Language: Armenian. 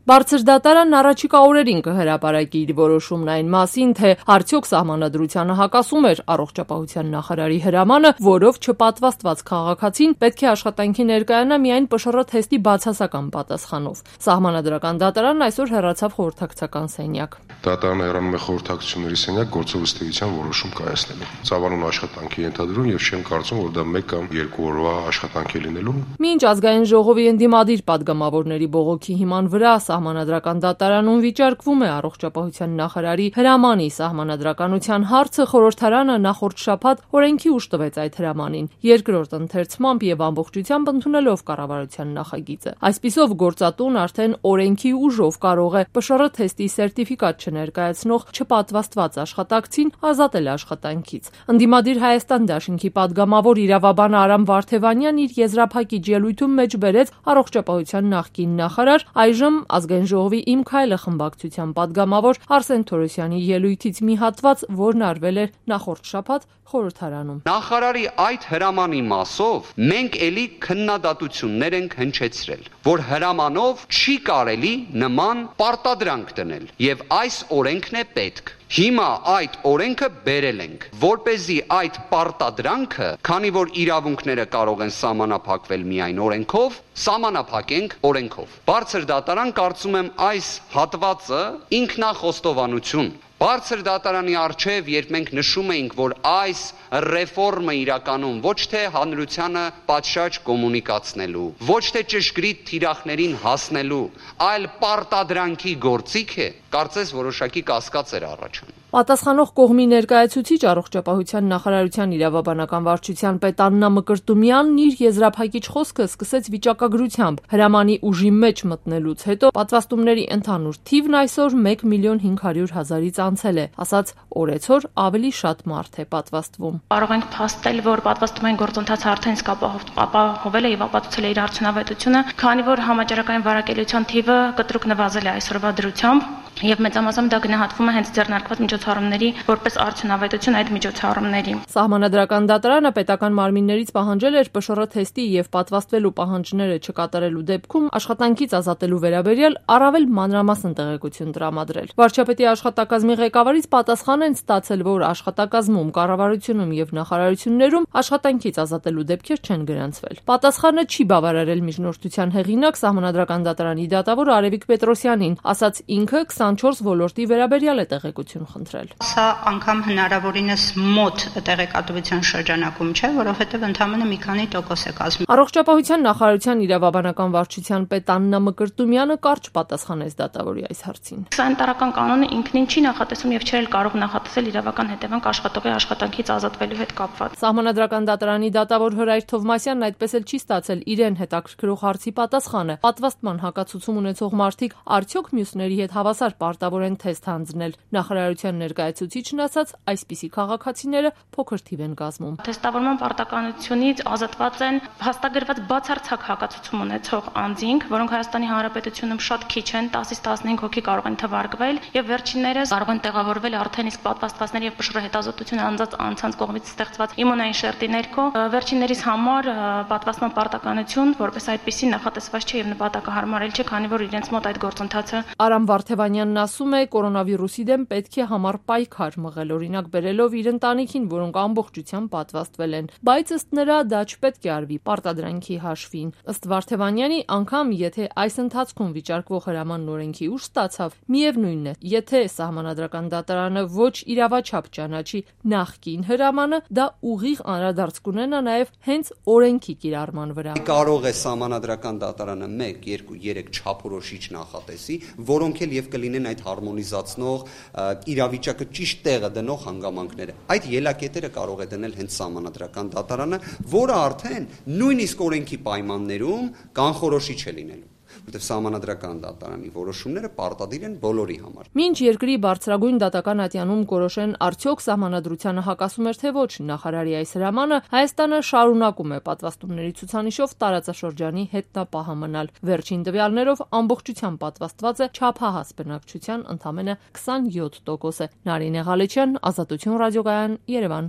Բարձր դատարանն առաջիկա օրերին կհրապարակի իր որոշումն այն մասին, թե արդյոք սահմանադրությանը հակասում էր առողջապահության նախարարի հրամանը, որով չպատվաստված քաղաքացին պետք է աշխատանքի ներկայանա միայն ՊՇՌ թեստի բացասական պատասխանով։ Սահմանադրական դատարանն այսօր հեռացավ խորհրդակցական սենյակ։ Դատարանը հեռանում է խորհրդակցությունների սենյակ գործով ըստ էության որոշում կայացնելու։ Ծավալուն աշխատանքի ենթադրում եւ չեմ կարծում, որ դա 1 կամ 2 օրվա աշխատանք է լինելու։ Մինչ ազգային ժողովի ընդդիմադիր падգամավորների բողոքի հիման վրա Սահմանադրական դատարանում վիճարկվում է առողջապահության նախարարի հրամանի սահմանադրականության հարցը, խորհրդարանը նախորդ շաբաթ օրենքի ուժ տվեց այդ հրամանին, երկրորդ ընթերցմամբ եւ ամբողջությամբ ընդունելով կառավարության նախագիծը։ Այսպիսով գործատուն արդեն օրենքի ուժով կարող է ՊՇՌ թեստի սերտիֆիկատ չներկայացնող չպատվաստված աշխատակցին ազատել աշխատանքից։ Ընդդիմադիր Հայաստան դաշինքի падգամավոր իրավաբան Արամ Վարդևանյանն իր եզրափակիչ ելույթում մեջ բերեց առողջապահության նախկին նախարար, այժմ ազգային ժողովի Իմ քայլը խմբակցության падգամավոր Արսեն Թորոսյանի ելույթից մի հատված, որն արվել էր նախորդ շաբաթ խորհրդարանում։ Նախարարի այդ հրամանի մասով մենք էլի քննադատություններ ենք հնչեցրել, որ հրամանով չի կարելի նման պարտադրանք դնել, եւ այս օրենքն է պետք։ Հիմա այդ օրենքը բերել ենք, որպեսզի այդ պարտադրանքը, քանի որ իրավունքները կարող են սահմանափակվել միայն օրենքով, սահմանափակենք օրենքով։ Բարձր դատարան կարծում եմ այս հատվածը ինքնախոստովանություն։ Բարձր դատարանի առջև, երբ մենք նշում էինք, որ այս ռեֆորմը իրականում ոչ թե հանրությանը պատշաճ կոմունիկացնելու, ոչ թե ճշգրիտ թիրախներին հասնելու, այլ պարտադրանքի գործիք է, կարծես որոշակի կասկած էր առաջանում։ Պատասխանող կողմի ներկայացուցիչ առողջապահության նախարարության իրավաբանական վարչության պետ Աննա Մկրտումյանն իր եզրափակիչ խոսքը սկսեց վիճակագրությամբ։ Հրամանի ուժի մեջ մտնելուց հետո պատվաստումների ընդհանուր թիվն այսօր 1.500.000-ից անցել է, ասաց օրեցօր ավելի շատ մարդ է պատվաստվում։ Կարող ենք փաստել, որ պատվաստումային գործընթացը արդեն իսկ ապահովել է եւ ապացուցել է իր արդյունավետությունը, քանի որ համաճարակային վարակելիության թիվը կտրուկ նվազել է այսօրվա դրությամբ եւ մեծամասամբ դա գնահատվում է հենց ձեռնարկված միջոցառումների որպես արդյունավետություն այդ միջոցառումների։ Սահմանադրական դատարանը պետական մարմիններից պահանջել էր ՊՇՌ թեստի եւ պատվաստվելու պահանջները չկատարելու դեպքում աշխատանքից ազատելու վերաբերյալ առավել մանրամասն տեղեկություն տրամադրել։ Վարչապետի աշխատակազմի ղեկավարից պատասխան են ստացել, որ աշխատակազմում, կառավարությունում եւ նախարարություններում աշխատանքից ազատելու դեպքեր չեն գրանցվել։ Պատասխանը չի բավարարել միջնորդության հեղինակ Սահմանադրական դատարանի դատավոր Արևիկ Պետրոսյանին, ասաց ինքը 24 ոլորտի վերաբերյալ է տեղեկություն խնդրել։ Սա անգամ հնարավորինս մոտ տեղեկատվության շրջանակում չէ, որովհետև ընդամենը մի քանի տոկոս է կազմում։ Առողջապահության նախարարության իրավաբանական վարչության պետ Աննա Մկրտումյանը կարճ պատասխանեց դատավորի այս հարցին։ Սանիտարական կանոնը ինքնին չի նախատեսում եւ չէ կարող նախատեսել իրավական հետևանք աշխատողի աշխատանքից ազատվելու հետ կապված։ Սահմանադրական դատարանի դատավոր Հրայր Թովմասյանն այդպես էլ չի ստացել իրեն հետաքրքրող հարցի պատասխանը։ Պատվաստման հակացուցում ունեցող մարդիկ արդյոք մյուսների հետ հավասար պարտավոր են թեստ հանձնել։ Նախարարության ներկայացուցիչն ասաց, այսպիսի քաղաքացիները փոքր թիվ են կազմում։ Թեստավորման պարտականությունից ազատված են հաստատագրված բացարձակ հակացուցում ունեցող անձինք, որոնք Հայաստանի Հանրապետությունում շատ քիչ են, 10-ից 15 հոգի կարող են թվարկվել, եւ վերջիններս կարող են տեղավորվել արդեն իսկ պատվաստվածների եւ ՊՇՌ հետազոտություն անձած անձանց կողմից ստեղծված իմունային շերտի ներքո։ Վերջիններիս համար պատվաստման պարտականություն որպես այդպիսի նախատեսված չէ եւ նպատակահարմարել չէ, քանի որ իրենց մոտ այդ գործընթացը Արամ Վարդևանյանն ասում է, կորոնավիրուսի դեմ պետք է համառ պայքար մղել, օրինակ բերելով իր ընտանիքին, որոնք ամբողջությամբ պատվաստվել են, բայց ըստ նրա դա չպետք է արվի պարտադրանքի հաշվին։ Ըստ Վարդևանյանի, անգամ եթե այս ընթացքում վիճարկվող հրամանն օրենքի ուժ ստացավ, միևնույնն է, եթե Սահմանադրական դատարանը ոչ իրավաչափ ճանաչի նախկին հրամանը, դա ուղիղ անդրադարձ կունենա նաև հենց օրենքի կիրառման վրա։ Կարող է Սահմանադրական դատարանը 1, 2, 3 չափորոշիչ նախատեսի, որոնք էլ եւ կլինեն այդ հարմոնիզացնող իրավիճակը ճիշտ տեղը դնող հանգամանքները։ Այդ ելակետերը կարող է դնել հենց Սահմանադրական դատարանը, որը արդեն նույնիսկ օրենքի պայմաններում կանխորոշիչ է լինելու, որտեղ Սահմանադրական դատարանի որոշումները պարտադիր են բոլորի համար։ Մինչ երկրի բարձրագույն դատական ատյանում կորոշեն արդյոք Սահմանադրությանը հակասում էր թե ոչ նախարարի այս հրամանը, Հայաստանը շարունակում է պատվաստումների ցուցանիշով տարածաշրջանի հետնապահը մնալ։ Վերջին տվյալներով ամբողջությամբ պատվաստված է չափահաս բնակչության ընդամենը 27%։ Նարինե Ղալեչյան, Ազատություն ռադիոկայան, Երևան։